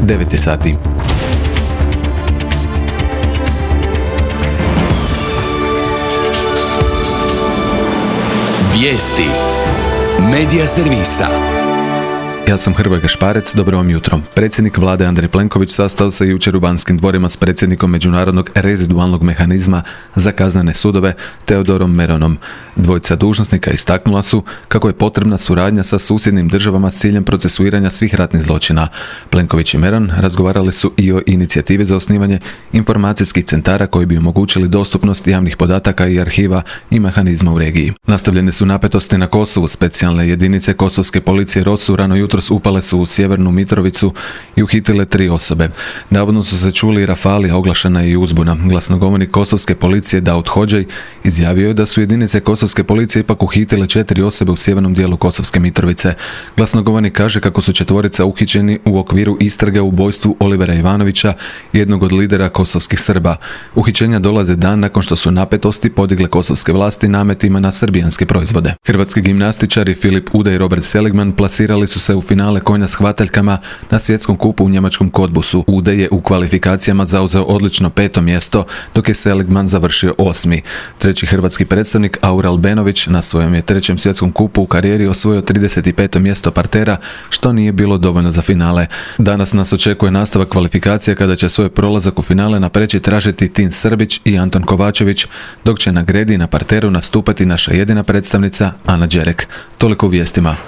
9 je sati. Vijesti Medija servisa. Ja sam Hrvoje Gašparec, dobro vam jutro. Predsjednik vlade Andrej Plenković sastao se jučer u Banskim dvorima s predsjednikom Međunarodnog rezidualnog mehanizma za kaznene sudove Teodorom Meronom. Dvojica dužnosnika istaknula su kako je potrebna suradnja sa susjednim državama s ciljem procesuiranja svih ratnih zločina. Plenković i Meron razgovarali su i o inicijativi za osnivanje informacijskih centara koji bi omogućili dostupnost javnih podataka i arhiva i mehanizma u regiji. Nastavljene su napetosti na Kosovu. Specijalne jedinice kosovske policije ROSU rano jutros upale su u Sjevernu Mitrovicu i uhitile 3 osobe. Navodno su se čuli rafali, a oglašena je i uzbuna. Glasnogovornik kosovske policije Daud Hodžaj izjavio je da su jedinice kosovske policije ipak uhitile 4 osobe u sjevernom dijelu Kosovske Mitrovice. Glasnogovornik kaže kako su 4 uhićeni u okviru istrage u ubojstvu Olivera Ivanovića, jednog od lidera kosovskih Srba. Uhićenja dolaze dan nakon što su napetosti podigle kosovske vlasti nametima na srbijanske proizvode. Hrvatski gimnastičari Filip Ude i Robert Seligman plasirali su se u finale konja s hvataljkama na svjetskom kupu u njemačkom Cottbusu. Ude je u kvalifikacijama zauzeo odlično 5. mjesto, dok je Seligman završio 8. Treći hrvatski predstavnik Aural Benović na svojem je 3. svjetskom kupu u karijeri osvojio 35. mjesto partera, što nije bilo dovoljno za finale. Danas nas očekuje nastavak kvalifikacija kada će svoj prolazak u finale napreći tražiti Tin Srbić i Anton Kovačević, dok će na gredi na parteru nastupati naša jedina predstavnica Ana Đerek. Toliko u vijestima.